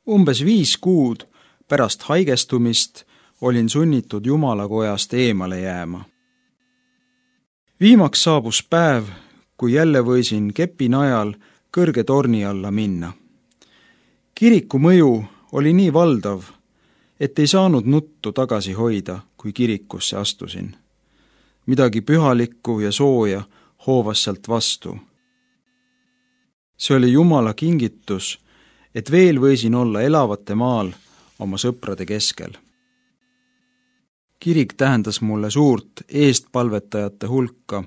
Umbes 5 kuud pärast haigestumist olin sunnitud Jumalakojast eemale jääma. Viimaks saabus päev, kui jälle võisin kepi najal kõrge torni alla minna. Kiriku mõju oli nii valdav, et ei saanud nuttu tagasi hoida, kui kirikusse astusin. Midagi pühalikku ja sooja hoovas sealt vastu. See oli Jumala kingitus, et veel võisin olla elavate maal oma sõprade keskel. Kirik tähendas mulle suurt eestpalvetajate hulka,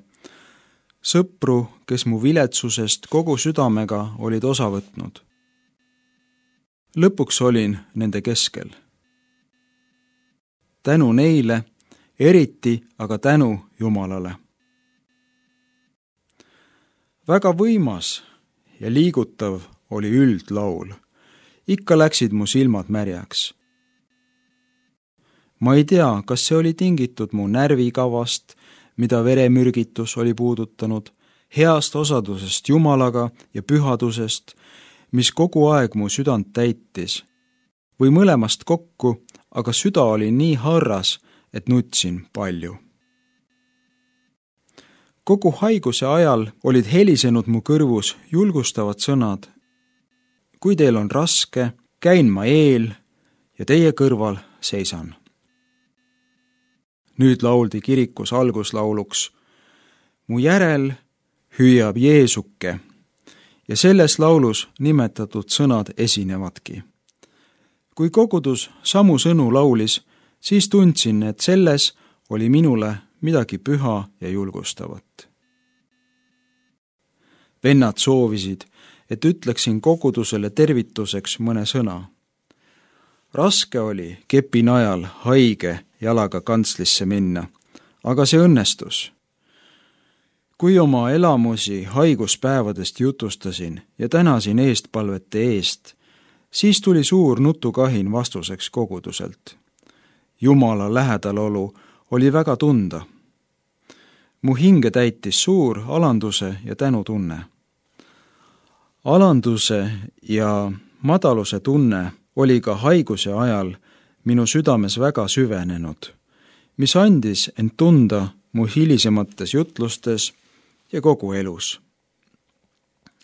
sõpru, kes mu viletsusest kogu südamega olid osa võtnud. Lõpuks olin nende keskel. Tänu neile, eriti aga tänu Jumalale. Väga võimas ja liigutav oli üldlaul. Ikka läksid mu silmad märjaks. Ma ei tea, kas see oli tingitud mu närvikavast, mida veremürgitus oli puudutanud, heast osadusest Jumalaga ja pühadusest, mis kogu aeg mu südant täitis, või mõlemast kokku, aga süda oli nii harras, et nutsin palju. Kogu haiguse ajal olid helisenud mu kõrvus julgustavad sõnad. Kui teil on raske, käin ma eel ja teie kõrval seisan. Nüüd lauldi kirikus alguslauluks. Mu järel hüüab Jeesuke ja selles laulus nimetatud sõnad esinevadki. Kui kogudus samu sõnu laulis, siis tundsin, et selles oli minule midagi püha ja julgustavat. Vennad soovisid, et ütleksin kogudusele tervituseks mõne sõna. Raske oli kepi najal haige jalaga kantslisse minna, aga see õnnestus. Kui oma elamusi haiguspäevadest jutustasin ja tänasin eestpalvete eest, siis tuli suur nutukahin vastuseks koguduselt. Jumala lähedalolu oli väga tunda. Mu hinge täitis suur alanduse ja tänutunne. Alanduse ja madaluse tunne oli ka haiguse ajal minu südames väga süvenenud, mis andis end tunda mu hilisemates jutlustes ja kogu elus.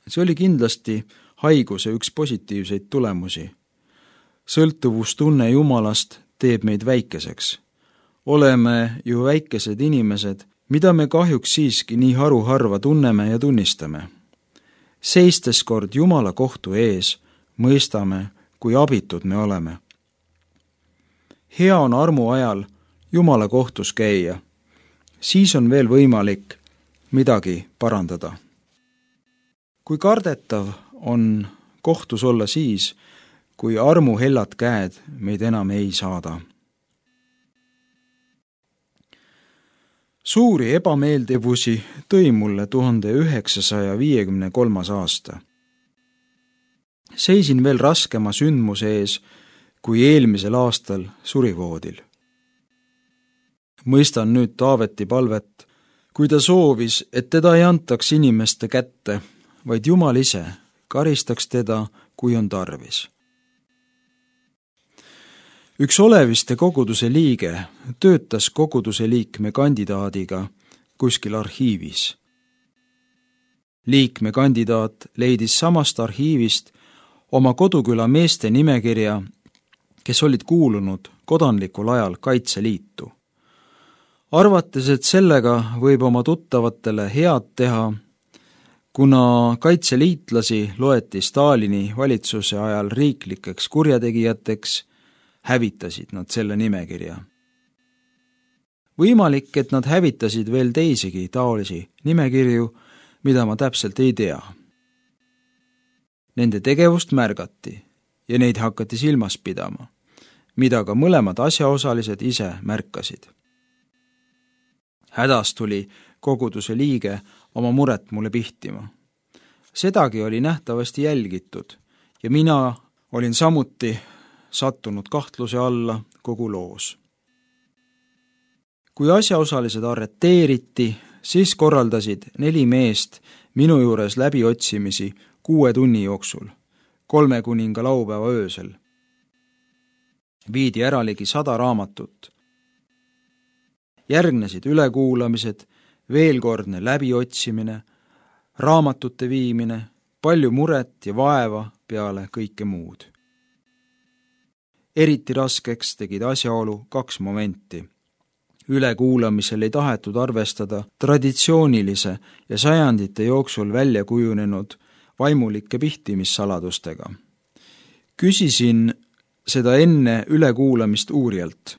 See oli kindlasti haiguse üks positiivseid tulemusi. Sõltuvustunne Jumalast teeb meid väikeseks. Oleme ju väikesed inimesed, mida me kahjuks siiski nii haruharva tunneme ja tunnistame. Seistes kord Jumala kohtu ees, mõistame, kui abitud me oleme. Hea on armu ajal Jumala kohtus käia. Siis on veel võimalik midagi parandada. Kui kardetav on kohtus olla siis, kui armu hellad käed meid enam ei saada. Suuri ebameeldivusi tõi mulle 1953. aasta. Seisin veel raskema sündmuse ees, kui eelmisel aastal surivoodil. Mõistan nüüd Taaveti palvet, kui ta soovis, et teda ei antaks inimeste kätte, vaid Jumal ise karistaks teda, kui on tarvis. Üks Oleviste koguduse liige töötas koguduse liikme kandidaadiga kuskil arhiivis. Liikme kandidaat leidis samast arhiivist oma koduküla meeste nimekirja, kes olid kuulunud kodanlikul ajal Kaitseliitu. Arvates, et sellega võib oma tuttavatele head teha, kuna kaitseliitlasi loeti Stalini valitsuse ajal riiklikeks kurjategijateks, hävitasid nad selle nimekirja. Võimalik, et nad hävitasid veel teisigi taolisi nimekirju, mida ma täpselt ei tea. Nende tegevust märgati ja neid hakati silmas pidama, mida ka mõlemad asjaosalised ise märkasid. Hädas tuli koguduse liige oma muret mulle pihtima. Sedagi oli nähtavasti jälgitud ja mina olin samuti sattunud kahtluse alla kogu loos. Kui asjaosalised arreteeriti, siis korraldasid 4 meest minu juures läbiotsimisi 6 tunni jooksul, 3 kuninga laupäeva öösel. Viidi ära ligi 100 raamatut. Järgnesid ülekuulamised, veelkordne läbiotsimine, raamatute viimine, palju muret ja vaeva peale kõike muud. Eriti raskeks tegid asjaolu 2 momenti. Ülekuulamisel ei tahetud arvestada traditsioonilise ja sajandite jooksul välja kujunenud vaimulike pihtimissaladustega. Küsisin seda enne ülekuulamist uurijalt.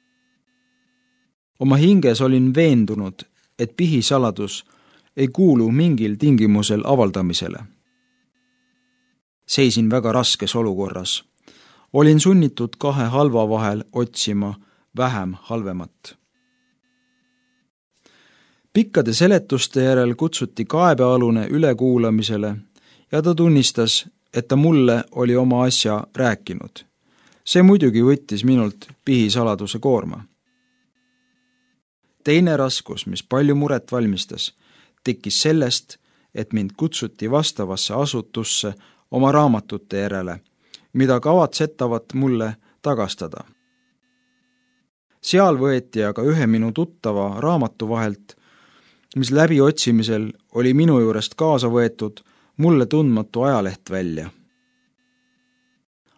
Oma hinges olin veendunud, et pihisaladus ei kuulu mingil tingimusel avaldamisele. Seisin väga raskes olukorras. Olin sunnitud 2 halva vahel otsima vähem halvemat. Pikkade seletuste järel kutsuti kaebealune ülekuulamisele ja ta tunnistas, et ta mulle oli oma asja rääkinud. See muidugi võttis minult pihisaladuse koorma. Teine raskus, mis palju muret valmistas, tekkis sellest, et mind kutsuti vastavasse asutusse oma raamatute järele, mida kavatsetavat mulle tagastada. Seal võeti aga ühe minu tuttava raamatu vahelt, mis läbiotsimisel oli minu juurest kaasa võetud, mulle tundmatu ajaleht välja.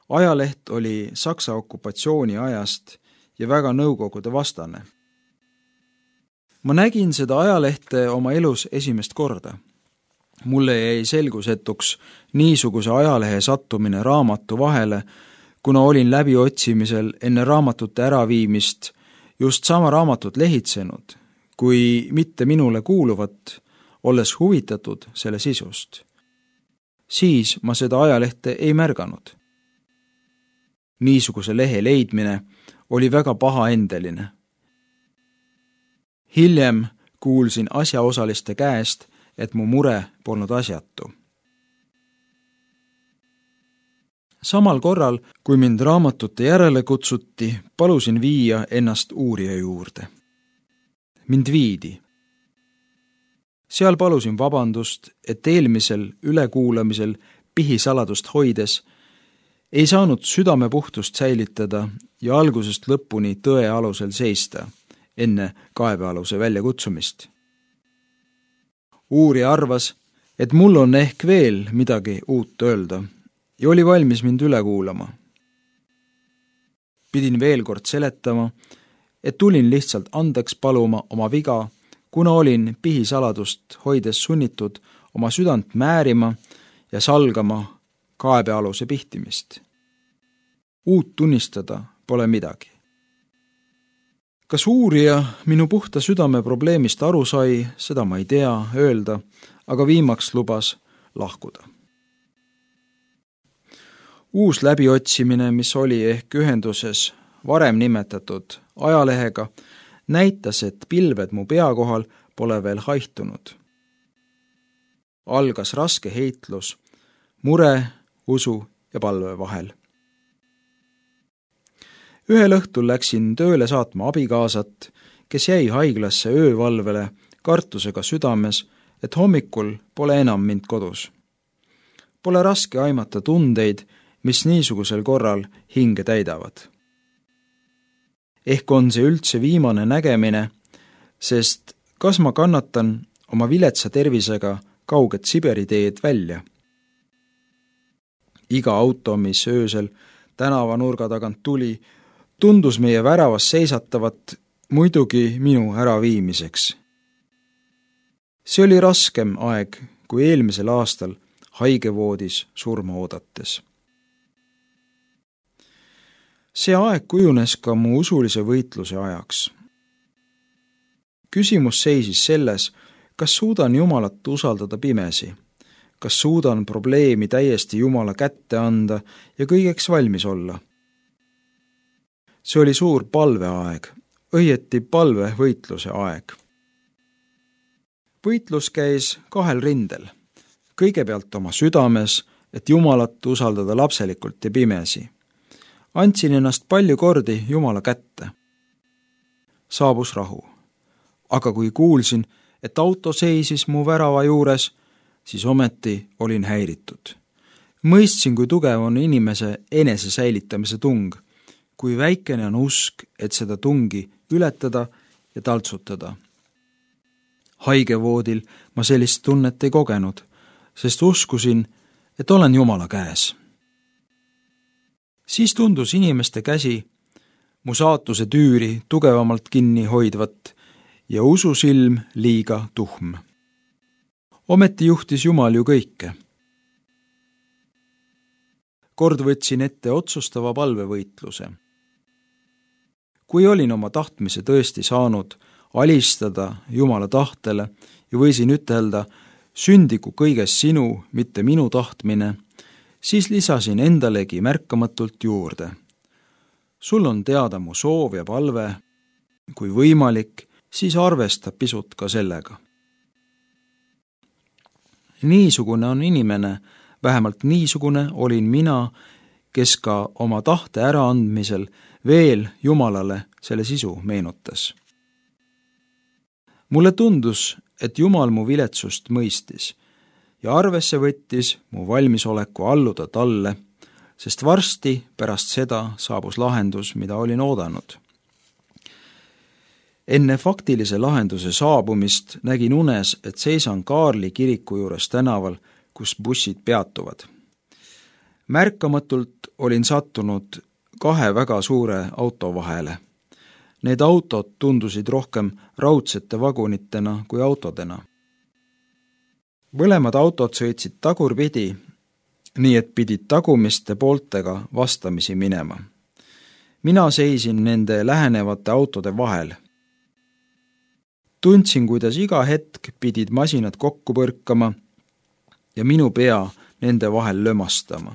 Ajaleht oli Saksa okupatsiooni ajast ja väga nõukogude vastane. Ma nägin seda ajalehte oma elus esimest korda. Mulle jäi selgusetuks niisuguse ajalehe sattumine raamatu vahele, kuna olin läbiotsimisel enne raamatute äraviimist just sama raamatut lehitsenud, kui mitte minule kuuluvat, olles huvitatud selle sisust. Siis ma seda ajalehte ei märganud. Niisuguse lehe leidmine oli väga pahaendeline. Hiljem kuulsin asjaosaliste käest, et mu mure polnud asjatu. Samal korral, kui mind raamatute järele kutsuti, palusin viia ennast uurija juurde. Mind viidi. Seal palusin vabandust, et eelmisel ülekuulamisel pihisaladust hoides ei saanud südamepuhtust säilitada ja algusest lõpuni tõe alusel seista enne kaebealuse väljakutsumist. Uurija arvas, et mul on ehk veel midagi uut öelda ja oli valmis mind üle kuulama. Pidin veel kord seletama, et tulin lihtsalt andeks paluma oma viga, kuna olin pihisaladust hoides sunnitud oma südant määrima ja salgama kaebealuse pihtimist. Uut tunnistada pole midagi. Kas uurija minu puhta südame probleemist aru sai, seda ma ei tea öelda, aga viimaks lubas lahkuda. Uus läbiotsimine, mis oli ehk ühenduses varem nimetatud ajalehega, näitas, et pilved mu pea kohal pole veel haihtunud. Algas raske heitlus, mure, usu ja palve vahel. Ühel õhtul läksin tööle saatma abikaasat, kes jäi haiglasse öövalvele kartusega südames, et hommikul pole enam mind kodus. Pole raske aimata tundeid, mis niisugusel korral hinge täidavad. Ehk on see üldse viimane nägemine, sest kas ma kannatan oma viletsa tervisega kauget Siberi teed välja? Iga auto, mis öösel tänavanurga tagant tuli, tundus meie väravas seisatavat muidugi minu äraviimiseks. See oli raskem aeg kui eelmisel aastal haigevoodis surma oodates. See aeg kujunes ka mu usulise võitluse ajaks. Küsimus seisis selles, kas suudan Jumalat usaldada pimesi, kas suudan probleemi täiesti Jumala kätte anda ja kõigeks valmis olla. See oli suur palveaeg, õieti palvevõitluse aeg. Võitlus käis 2 rindel. Kõigepealt oma südames, et Jumalat usaldada lapselikult ja pimesi. Andsin ennast palju kordi Jumala kätte. Saabus rahu. Aga kui kuulsin, et auto seisis mu värava juures, siis ometi olin häiritud. Mõistsin, kui tugev on inimese enese säilitamise tung, kui väikene on usk, et seda tungi ületada ja taltsutada. Haigevoodil ma sellist tunnet ei kogenud, sest uskusin, et olen Jumala käes. Siis tundus inimeste käsi mu saatuse tüüri tugevamalt kinni hoidvat ja ususilm liiga tuhm. Ometi juhtis Jumal ju kõike. Kord võtsin ette otsustava palvevõitluse. Kui olin oma tahtmise tõesti saanud alistada Jumala tahtele ja võisin ütelda, sündigu kõiges sinu, mitte minu tahtmine, siis lisasin endalegi märkamatult juurde. Sul on teada mu soov ja palve, kui võimalik, siis arvesta pisut ka sellega. Niisugune on inimene, vähemalt niisugune olin mina, kes ka oma tahte äraandmisel veel Jumalale selle sisu meenutas. Mulle tundus, et Jumal mu viletsust mõistis ja arvesse võttis mu valmisoleku alluda talle, sest varsti pärast seda saabus lahendus, mida olin oodanud. Enne faktilise lahenduse saabumist nägin unes, et seisan Kaarli kiriku juures tänaval, kus bussid peatuvad. Märkamatult olin sattunud 2 väga suure auto vahele. Need autod tundusid rohkem raudsete vagunitena kui autodena. Mõlemad autod sõitsid tagurpidi, nii et pidid tagumiste pooltega vastamisi minema. Mina seisin nende lähenevate autode vahel. Tundsin, kuidas iga hetk pidid masinad kokku põrkama ja minu pea nende vahel lömastama.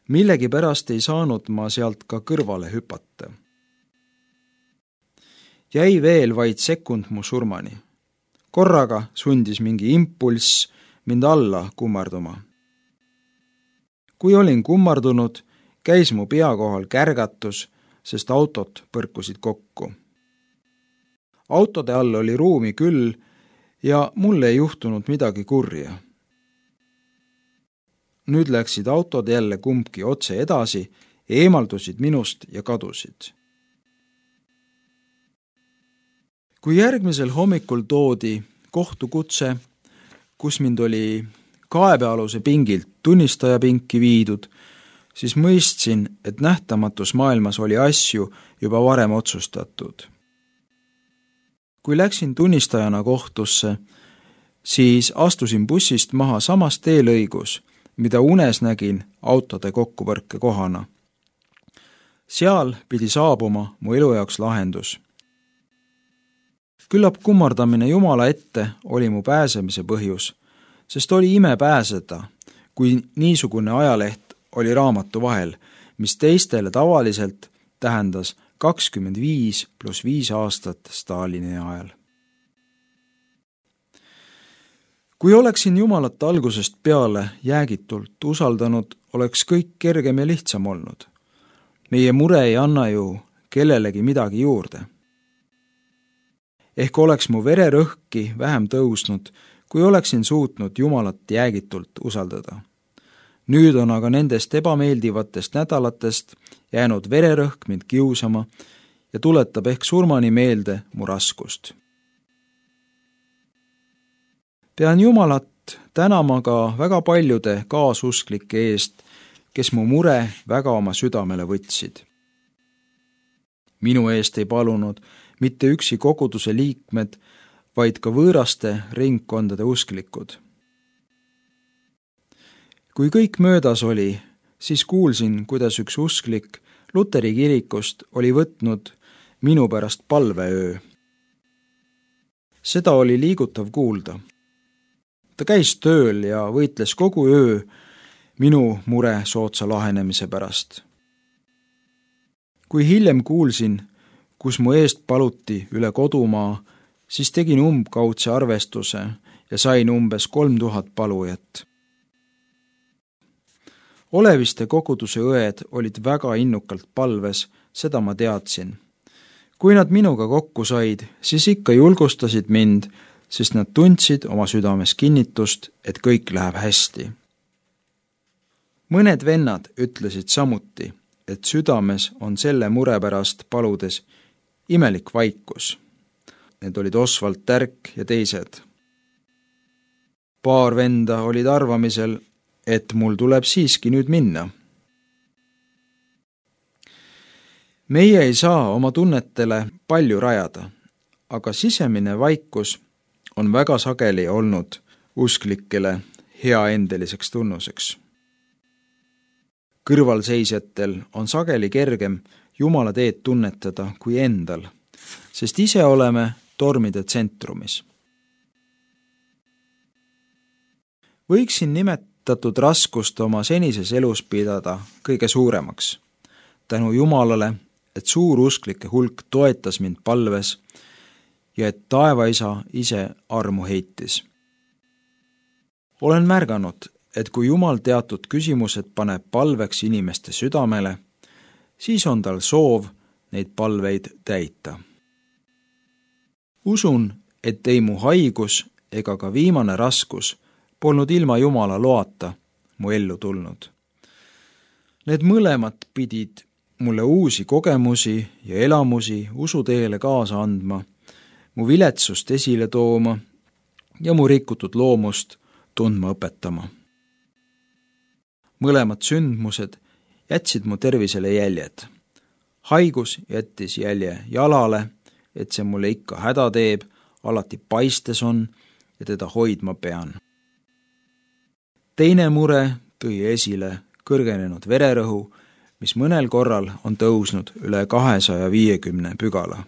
Millegi pärast ei saanud ma sealt ka kõrvale hüpata. Jäi veel vaid sekund mu surmani. Korraga sundis mingi impulss mind alla kummarduma. Kui olin kummardunud, käis mu pea kohal kärgatus, sest autod põrkusid kokku. Autode all oli ruumi küll ja mulle ei juhtunud midagi kurja. Nüüd läksid autod jälle kumbki otse edasi, eemaldusid minust ja kadusid. Kui järgmisel hommikul toodi kohtukutse, kus mind oli kaebealuse pingilt tunnistajapinki viidud, siis mõistsin, et nähtamatus maailmas oli asju juba varem otsustatud. Kui läksin tunnistajana kohtusse, siis astusin bussist maha samas teelõigus, mida unes nägin autode kokkupõrke kohana. Seal pidi saabuma mu elu jaoks lahendus. Küllap kummardamine Jumala ette oli mu pääsemise põhjus, sest oli ime pääseda, kui niisugune ajaleht oli raamatu vahel, mis teistele tavaliselt tähendas 25+5 aastat Stalini ajal. Kui oleksin Jumalat algusest peale jäägitult usaldanud, oleks kõik kergem ja lihtsam olnud. Meie mure ei anna ju kellelegi midagi juurde. Ehk oleks mu vererõhki vähem tõusnud, kui oleksin suutnud Jumalat jäägitult usaldada. Nüüd on aga nendest ebameeldivatest nädalatest jäänud vererõhk mind kiusama ja tuletab ehk surmani meelde mu raskust. Pean Jumalat tänama ka väga paljude kaasusklike eest, kes mu mure väga oma südamele võtsid. Minu eest ei palunud mitte üksi koguduse liikmed, vaid ka võõraste ringkondade usklikud. Kui kõik möödas oli, siis kuulsin, kuidas üks usklik Luteri kirikust oli võtnud minu pärast palveöö. Seda oli liigutav kuulda. Ta käis tööl ja võitles kogu öö minu mure soodsa lahenemise pärast. Kui hiljem kuulsin, kus mu eest paluti üle kodumaa, siis tegin umbkaudse arvestuse ja sain umbes 3000 palujat. Oleviste koguduse õed olid väga innukalt palves, seda ma teadsin. Kui nad minuga kokku said, siis ikka julgustasid mind, sest nad tundsid oma südames kinnitust, et kõik läheb hästi. Mõned vennad ütlesid samuti, et südames on selle mure pärast paludes imelik vaikus. Need olid Oswald Tärk ja teised. Paar venda olid arvamisel, et mul tuleb siiski nüüd minna. Meie ei saa oma tunnetele palju rajada, aga sisemine vaikus on väga sageli olnud usklikele heaendeliseks tunnuseks. Kõrvalseisjatel on sageli kergem Jumala teed tunnetada kui endal, sest ise oleme tormide tsentrumis. Võiksin nimetatud raskust oma senises elus pidada kõige suuremaks. Tänu Jumalale, et suur usklike hulk toetas mind palves ja et taevaisa ise armu heitis. Olen märganud, et kui Jumal teatud küsimused paneb palveks inimeste südamele, siis on tal soov neid palveid täita. Usun, et ei mu haigus ega ka viimane raskus polnud ilma Jumala loata mu ellu tulnud. Need mõlemad pidid mulle uusi kogemusi ja elamusi usuteele kaasa andma, mu viletsust esile tooma ja mu rikutud loomust tundma õpetama. Mõlemad sündmused jätsid mu tervisele jäljed. Haigus jättis jälje jalale, et see mulle ikka häda teeb, alati paistes on ja teda hoidma pean. Teine mure tõi esile kõrgenenud vererõhu, mis mõnel korral on tõusnud üle 250 pügala.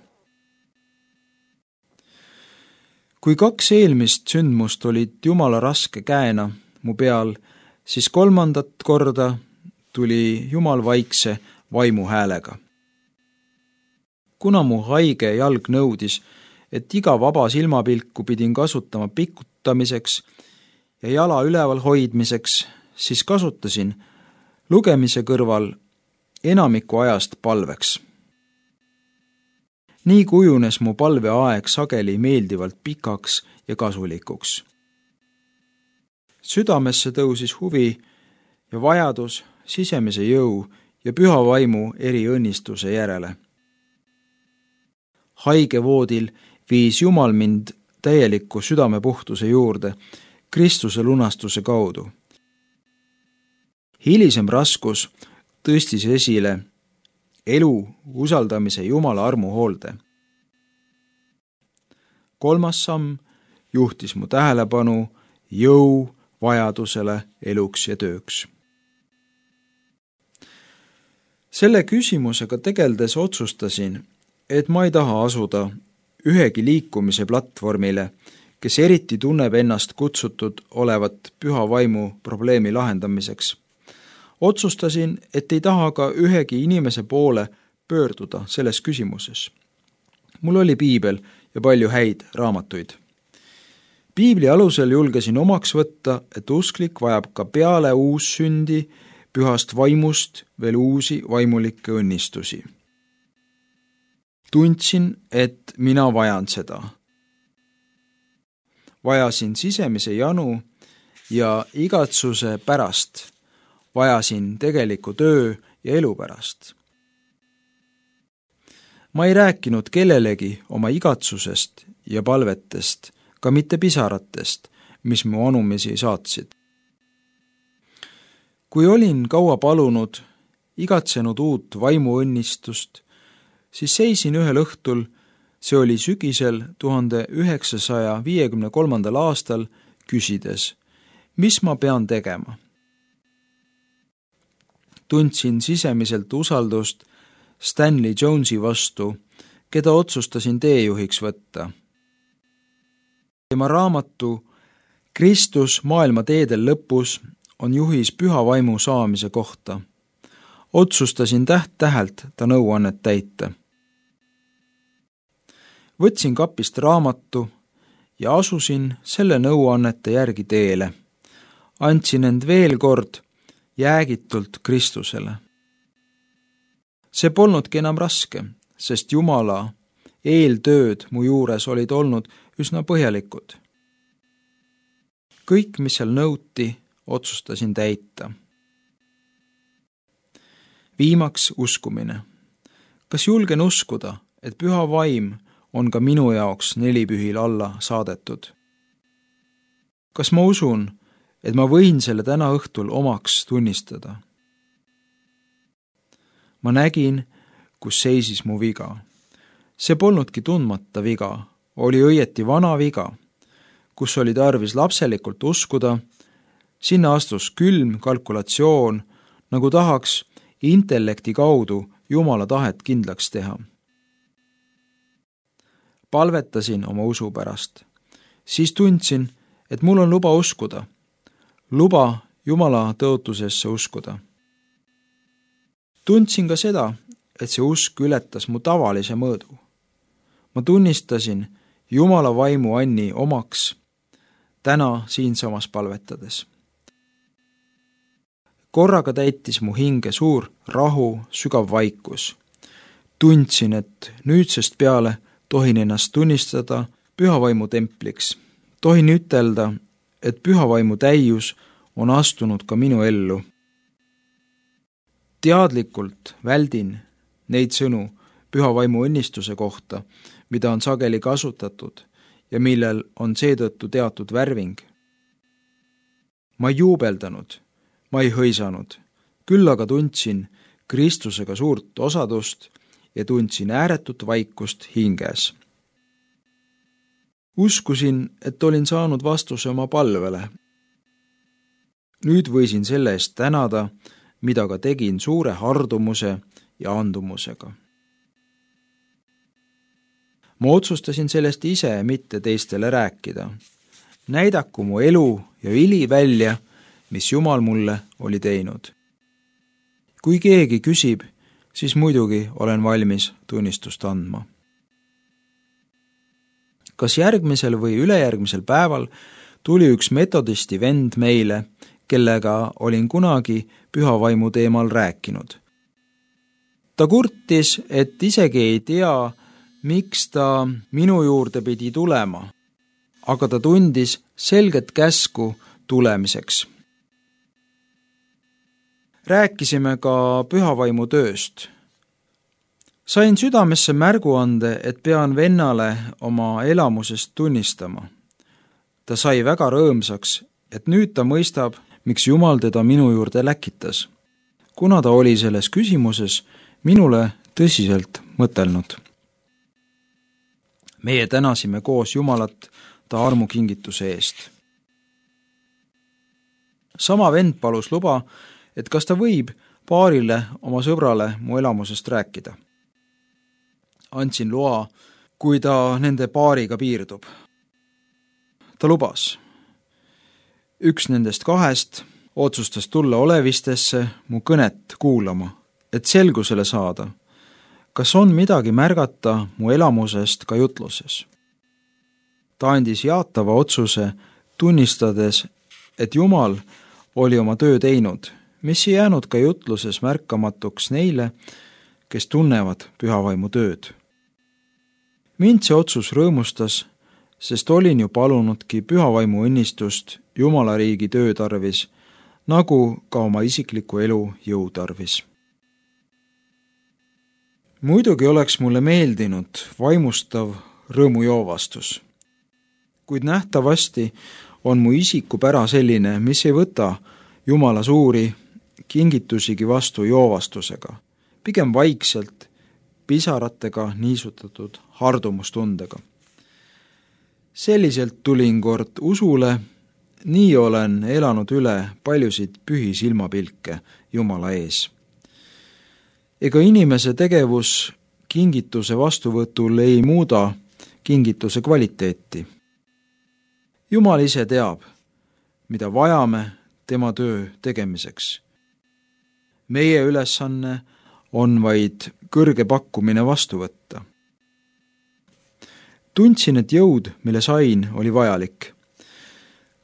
Kui 2 eelmist sündmust olid Jumala raske käena mu peal, siis 3. korda tuli Jumal vaikse vaimu häälega. Kuna mu haige jalg nõudis, et iga vaba silmapilku pidin kasutama pikutamiseks ja jala üleval hoidmiseks, siis kasutasin lugemise kõrval enamiku ajast palveks. Nii kujunes mu palveaeg sageli meeldivalt pikaks ja kasulikuks. Südamesse tõusis huvi ja vajadus sisemise jõu ja püha vaimu eri õnnistuse järele. Haigevoodil viis Jumal mind täieliku südamepuhtuse juurde Kristuse lunastuse kaudu. Hilisem raskus tõstis esile elu usaldamise Jumala armuhoolde. 3. samm juhtis mu tähelepanu jõu vajadusele eluks ja tööks. Selle küsimusega tegeldes otsustasin, et ma ei taha asuda ühegi liikumise platvormile, kes eriti tunneb ennast kutsutud olevat püha vaimu probleemi lahendamiseks. Otsustasin, et ei taha ka ühegi inimese poole pöörduda selles küsimuses. Mul oli piibel ja palju häid raamatuid. Piibli alusel julgesin omaks võtta, et usklik vajab ka peale uussündi pühast vaimust veel uusi vaimulikke õnnistusi. Tundsin, et mina vajan seda. Vajasin sisemise janu ja igatsuse pärast. Vajasin tegeliku töö ja elu pärast. Ma ei rääkinud kellelegi oma igatsusest ja palvetest, ka mitte pisaratest, mis mu anumisi saatsid. Kui olin kaua palunud, igatsenud uut vaimuõnnistust, siis seisin ühel õhtul, see oli sügisel 1953. aastal, küsides, mis ma pean tegema. Tundsin sisemiselt usaldust Stanley Jonesi vastu, keda otsustasin teejuhiks võtta. Tema raamatu Kristus maailma teedel lõpus on juhis püha vaimu saamise kohta. Otsustasin täht-tähelt ta nõuannet täita. Võtsin kapist raamatu ja asusin selle nõuannete järgi teele. Andsin end veel kord jäägitult Kristusele. See polnudki enam raske, sest Jumala eeltööd mu juures olid olnud üsna põhjalikud. Kõik, mis seal nõuti, otsustasin täita. Viimaks uskumine. Kas julgen uskuda, et püha vaim on ka minu jaoks nelipühil alla saadetud? Kas ma usun, et ma võin selle täna õhtul omaks tunnistada? Ma nägin, kus seisis mu viga. See polnudki tundmata viga, oli õieti vana viga, kus oli tarvis lapselikult uskuda, sinna astus külm kalkulatsioon, nagu tahaks intellekti kaudu Jumala tahet kindlaks teha. Palvetasin oma usu pärast. Siis tundsin, et mul on luba uskuda. Luba Jumala tõotusesse uskuda. Tundsin ka seda, et see usk ületas mu tavalise mõõdu. Ma tunnistasin Jumala vaimu Anni omaks täna siinsamas palvetades. Korraga täitis mu hinge suur rahu, sügav vaikus. Tundsin, et nüüdsest peale tohin ennast tunnistada pühavaimu templiks. Tohin ütelda, et pühavaimu täius on astunud ka minu ellu. Teadlikult väldin neid sõnu pühavaimu õnnistuse kohta, mida on sageli kasutatud ja millel on seetõttu teatud värving. Ma ei juubeldanud, ma ei hõisanud, küll aga tundsin Kristusega suurt osadust ja tundsin ääretut vaikust hinges. Uskusin, et olin saanud vastuse oma palvele. Nüüd võisin selle eest tänada, mida ka tegin suure hardumuse ja andumusega. Ma otsustasin sellest ise mitte teistele rääkida. Näidaku mu elu ja vili välja, mis Jumal mulle oli teinud. Kui keegi küsib, siis muidugi olen valmis tunnistust andma. Kas järgmisel või ülejärgmisel päeval tuli üks metodisti vend meile, kellega olin kunagi pühavaimu teemal rääkinud. Ta kurtis, et isegi ei tea, miks ta minu juurde pidi tulema, aga ta tundis selget käsku tulemiseks. Rääkisime ka pühavaimu tööst. Sain südamesse märguande, et pean vennale oma elamusest tunnistama. Ta sai väga rõõmsaks, et nüüd ta mõistab, miks Jumal teda minu juurde läkitas, kuna ta oli selles küsimuses minule tõsiselt mõtelnud. Meie tänasime koos Jumalat ta armukingituse eest. Sama vend palus luba, et kas ta võib paarile oma sõbrale mu elamusest rääkida. Andsin loa, kui ta nende paariga piirdub. Ta lubas. Üks nendest kahest otsustas tulla olevistesse mu kõnet kuulama, et selgusele saada, kas on midagi märgata mu elamusest ka jutluses. Ta andis jaatava otsuse, tunnistades, et Jumal oli oma töö teinud, mis ei jäänud ka jutluses märkamatuks neile, kes tunnevad pühavaimu tööd. Mind see otsus rõõmustas, sest olin ju palunudki pühavaimu õnnistust Jumala riigi töö tarvis, nagu ka oma isikliku elu jõu tarvis. Muidugi oleks mulle meeldinud vaimustav rõõmujoovastus, kuid nähtavasti on mu isikupära selline, mis ei võta Jumala suuri kingitusigi vastu joovastusega, pigem vaikselt, pisaratega niisutatud hardumustundega. Selliselt tulin kord usule, nii olen elanud üle paljusid pühi silmapilke Jumala ees. Ega inimese tegevus kingituse vastuvõtul ei muuda kingituse kvaliteeti. Jumal ise teab, mida vajame tema töö tegemiseks. Meie ülesanne on vaid kõrge pakkumine vastu võtta. Tundsin, et jõud, mille sain, oli vajalik.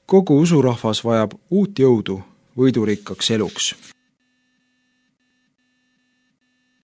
Kogu usurahvas vajab uut jõudu võidurikkaks eluks.